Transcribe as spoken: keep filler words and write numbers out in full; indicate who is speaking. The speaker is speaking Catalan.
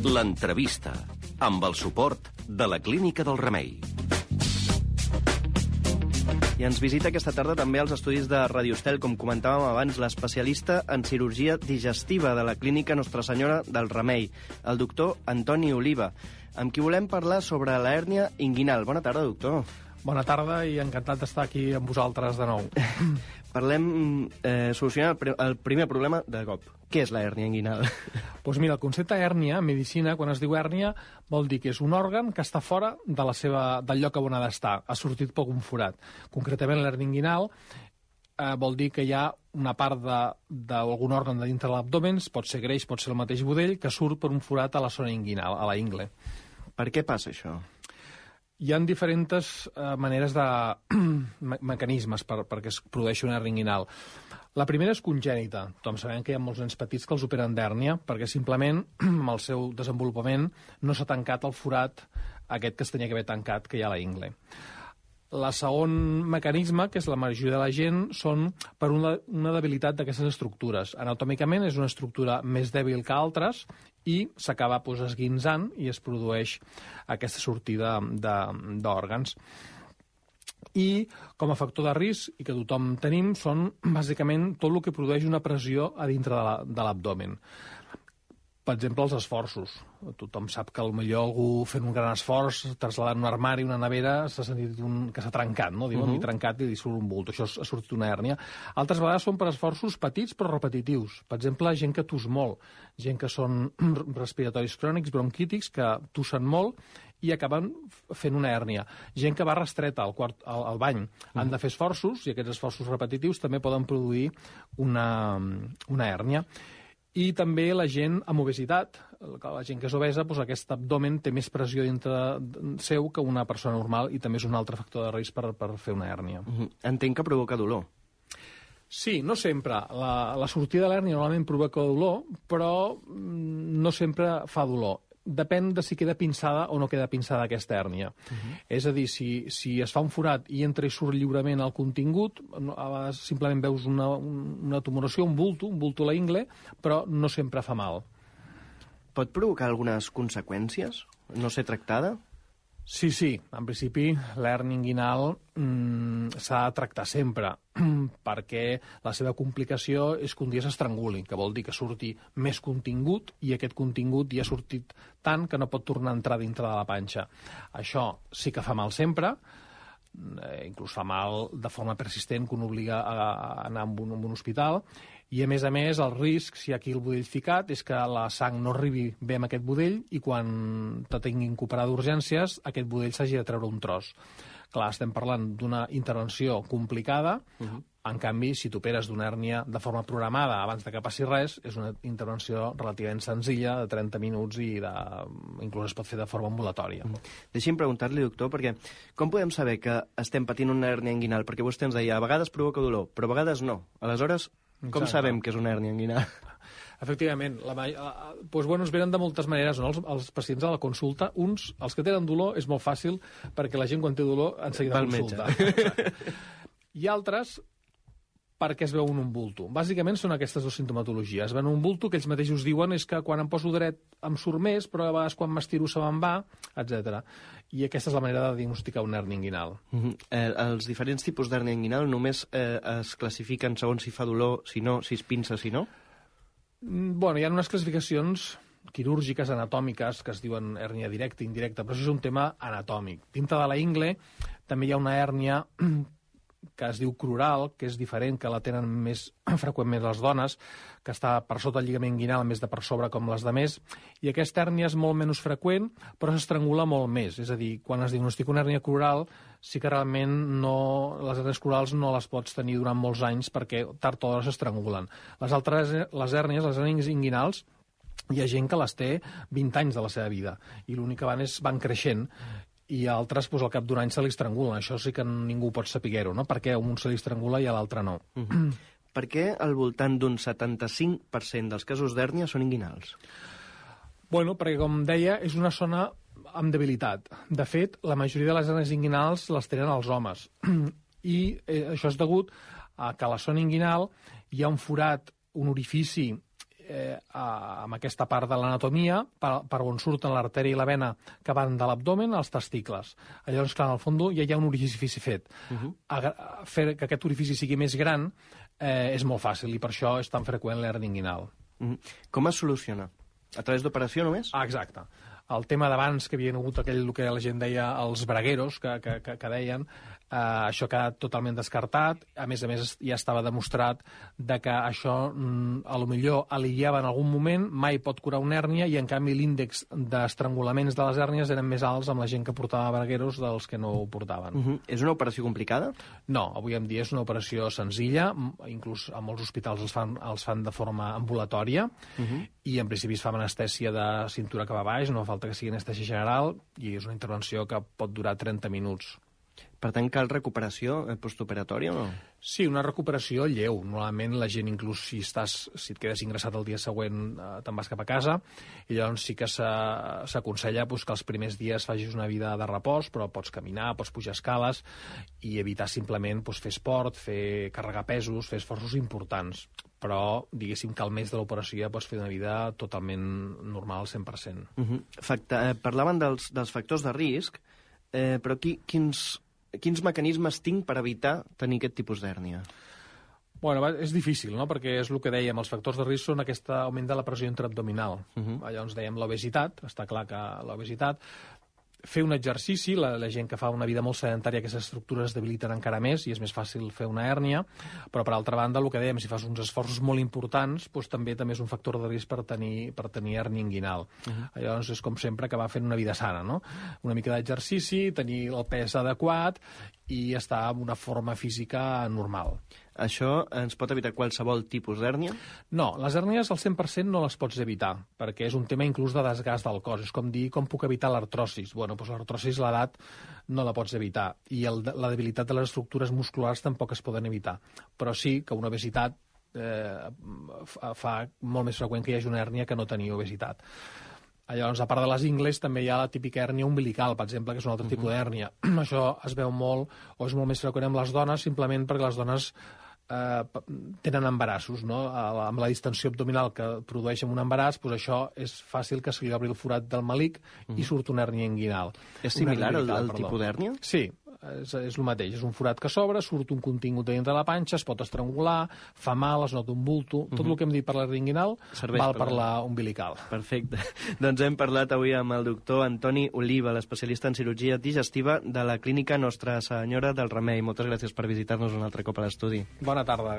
Speaker 1: L'entrevista, amb el suport de la Clínica del Remei.
Speaker 2: I ens visita aquesta tarda també als estudis de Radio Estel, com comentàvem abans, l'especialista en cirurgia digestiva de la Clínica Nostra Senyora del Remei, el doctor Antoni Oliva, amb qui volem parlar sobre la hèrnia inguinal. Bona tarda, doctor.
Speaker 3: Bona tarda i encantat d'estar aquí amb vosaltres de nou.
Speaker 2: Parlem, eh, solucionar el primer problema de cop. Què és la hèrnia inguinal?
Speaker 3: Doncs mira, el concepte hèrnia, en medicina, quan es diu hèrnia, vol dir que és un òrgan que està fora de la seva, del lloc on ha d'estar, ha sortit per un forat. Concretament, l'hèrnia inguinal eh, vol dir que hi ha una part d'algun òrgan de dintre de l'abdomen, pot ser greix, pot ser el mateix budell, que surt per un forat a la zona inguinal, a la ingle.
Speaker 2: Per què passa això?
Speaker 3: Hi ha diferents eh, maneres de... me mecanismes per, perquè es produeixi una hèrnia inguinal. La primera és congènita. Tothom sabem que hi ha molts nens petits que els operen d'hèrnia perquè simplement amb el seu desenvolupament no s'ha tancat el forat aquest que es tenia que haver tancat, que hi ha a la ingle. El segon mecanisme, que és la majoria de la gent, són per una, una debilitat d'aquestes estructures. Anatòmicament és una estructura més dèbil que altres i s'acaba pues, esguinçant i es produeix aquesta sortida d'òrgans. I com a factor de risc, i que tothom tenim, són bàsicament tot el que produeix una pressió a dintre de l'abdomen. Per exemple, els esforços. Tothom sap que potser algú fent un gran esforç, trasladant un armari, una nevera, s'ha sentit un... que s'ha trencat, no? Diuen, uh -huh. m'he trencat i li surt un bult. Això ha sortit una hèrnia. Altres vegades són per esforços petits però repetitius. Per exemple, gent que tus molt, gent que són respiratoris crònics, bronquítics, que tussen molt i acaben fent una hèrnia. Gent que va restreta al, quart, al, al bany. Han de fer esforços, i aquests esforços repetitius també poden produir una, una hèrnia. I també la gent amb obesitat, la gent que és obesa, doncs aquest abdomen té més pressió dintre seu que una persona normal i també és un altre factor de risc per, per fer una hèrnia.
Speaker 2: Uh-huh. Entenc que provoca dolor.
Speaker 3: Sí, no sempre. La, la sortida de l'hèrnia normalment provoca dolor, però no sempre fa dolor. Depèn de si queda pinçada o no queda pinçada aquesta hèrnia. Uh-huh. És a dir, si, si es fa un forat i entra i surt lliurement el contingut, a vegades simplement veus una, una tumoració, un bulto, un bulto a la ingle, però no sempre fa mal.
Speaker 2: Pot provocar algunes conseqüències? No ser tractada?
Speaker 3: Sí, sí. En principi, l'hèrnia inguinal mmm, s'ha de tractar sempre, perquè la seva complicació és que un dia s'estranguli, que vol dir que surti més contingut i aquest contingut ja ha sortit tant que no pot tornar a entrar dintre de la panxa. Això sí que fa mal sempre, eh, inclús fa mal de forma persistent, que un obliga a, a anar a un, a un hospital, i a més a més el risc, si hi ha aquí el budell ficat, és que la sang no arribi bé amb aquest budell i quan te tinguin que operar d'urgències aquest budell s'hagi de treure un tros. Clar, estem parlant d'una intervenció complicada, uh-huh. En canvi, si t'operes d'una hèrnia de forma programada abans de que passi res, és una intervenció relativament senzilla, de trenta minuts i de... inclús es pot fer de forma ambulatòria.
Speaker 2: Uh-huh. Deixi'm preguntar-li, doctor, perquè com podem saber que estem patint una hèrnia inguinal? Perquè vostè ens deia, a vegades provoca dolor, però a vegades no. Aleshores, com Exacte. Sabem que és una hèrnia inguinal?
Speaker 3: Efectivament, la, la, doncs, bueno, es venen de moltes maneres, no? els, els pacients a la consulta. Uns, els que tenen dolor, és molt fàcil, perquè la gent quan té dolor en seguida consulta. I altres, perquè es veuen un bulto. Bàsicament són aquestes dues sintomatologies. Es veuen un bulto que ells mateixos diuen és que quan em poso dret em surt més, però a vegades quan m'estiro se me'n va, etcètera. I aquesta és la manera de diagnosticar una hèrnia inguinal.
Speaker 2: Uh-huh. eh, els diferents tipus d'hèrnia inguinal només eh, es classifiquen segons si fa dolor, si no, si es pinça, si no?
Speaker 3: Bueno, hi ha unes classificacions quirúrgiques, anatòmiques, que es diuen hèrnia directa i indirecta, però això és un tema anatòmic. Dintre de la ingle també hi ha una hèrnia que es diu crural, que és diferent, que la tenen més freqüentment les dones, que està per sota el lligament inguinal, més de per sobre com les de més, i aquesta hèrnia és molt menys freqüent, però s'estrangula molt més. És a dir, quan es diagnostica una hèrnia crural, sí que realment no, les hèrnies crurals no les pots tenir durant molts anys perquè tard o d'hora s'estrangulen. Les altres, les hèrnies, les hèrnies inguinals, hi ha gent que les té vint anys de la seva vida, i l'únic que van és van creixent, i altres doncs, al cap d'un any se li estrangulen. Això sí que ningú pot saber-ho, no? Perquè a un se li estrangula i a l'altre no.
Speaker 2: Uh-huh. Per què al voltant d'un setanta-cinc per cent dels casos d'hèrnia són inguinals?
Speaker 3: Bueno, perquè, com deia, és una zona amb debilitat. De fet, la majoria de les hèrnies inguinals les tenen els homes. I eh, això és degut a que a la zona inguinal hi ha un forat, un orifici eh, amb aquesta part de l'anatomia, per, per on surten l'artèria i la vena que van de l'abdomen als testicles. Llavors, clar, en el fons ja hi ha un orifici fet. Uh-huh. Fer que aquest orifici sigui més gran eh, és molt fàcil, i per això és tan freqüent l'hernia inguinal.
Speaker 2: Uh-huh. Com es soluciona? A través d'operació només?
Speaker 3: Ah, exacte. El tema d'abans, que havien hagut aquell, el que la gent deia, els bragueros, que, que, que, que deien, eh, això ha quedat totalment descartat. A més a més, ja estava demostrat de que això, mm, a lo millor, aliviava en algun moment, mai pot curar una hèrnia, i en canvi l'índex d'estrangulaments de les hèrnies eren més alts amb la gent que portava bragueros dels que no ho portaven.
Speaker 2: Uh-huh. És una operació complicada?
Speaker 3: No, avui en dia és una operació senzilla, inclús a molts hospitals els fan, els fan de forma ambulatòria, uh-huh. i en principi es fa amb anestèsia de cintura cap a baix, no fa falta que sigui anestèsia general, i és una intervenció que pot durar trenta minuts.
Speaker 2: Per tant, cal recuperació postoperatòria o no?
Speaker 3: Sí, una recuperació lleu. Normalment la gent, inclús si, estàs, si et quedes ingressat el dia següent, eh, te'n vas cap a casa, i llavors sí que s'aconsella pues, que els primers dies facis una vida de repòs, però pots caminar, pots pujar escales, i evitar simplement pues, fer esport, fer carregar pesos, fer esforços importants. Però, diguéssim, que al mes de l'operació ja pots fer una vida totalment normal al cent per cent.
Speaker 2: Uh-huh. Facta, eh, parlaven dels, dels factors de risc, eh, però qui, quins, quins mecanismes tinc per evitar tenir aquest tipus d'hèrnia?
Speaker 3: Bueno, és difícil, no?, perquè és el que dèiem, els factors de risc són aquest augment de la pressió intraabdominal. Uh-huh. Llavors dèiem l'obesitat, està clar que l'obesitat, fer un exercici, la, la gent que fa una vida molt sedentària, aquestes estructures es debiliten encara més i és més fàcil fer una hèrnia, però per altra banda, el que dèiem, si fas uns esforços molt importants, doncs, també també és un factor de risc per tenir, per tenir hèrnia inguinal. Uh-huh. Llavors és com sempre que va fent una vida sana, no? Una mica d'exercici, tenir el pes adequat i estar en una forma física normal.
Speaker 2: Això ens pot evitar qualsevol tipus d'hèrnia?
Speaker 3: No, les hèrnies al cent per cent no les pots evitar, perquè és un tema inclús de desgast del cos. És com dir, com puc evitar l'artrosis? Bueno, doncs l'artrosis, l'edat, no la pots evitar. I el, la debilitat de les estructures musculars tampoc es poden evitar. Però sí que una obesitat eh, fa molt més freqüent que hi hagi una hèrnia que no tenir obesitat. Llavors, a part de les ingles, també hi ha la típica hèrnia umbilical, per exemple, que és un altre uh-huh. tipus d'hèrnia. Això es veu molt, o és molt més freqüent amb les dones, simplement perquè les dones eh, tenen embarassos, no? Amb la distensió abdominal que produeix un embaràs, doncs això és fàcil que se li obri el forat del melic uh-huh. i surt una hèrnia inguinal.
Speaker 2: És similar al, al tipus d'hèrnia?
Speaker 3: Sí. És, és el mateix, és un forat que s'obre, surt un contingut de dintre de la panxa, es pot estrangular, fa mal, es nota un bulto, tot uh-huh. el que hem dit per l'hernia inguinal val per la umbilical.
Speaker 2: Perfecte. Doncs hem parlat avui amb el doctor Antoni Oliva, l'especialista en cirurgia digestiva de la clínica Nostra Senyora del Remei. Moltes gràcies per visitar-nos un altre cop a l'estudi.
Speaker 3: Bona tarda.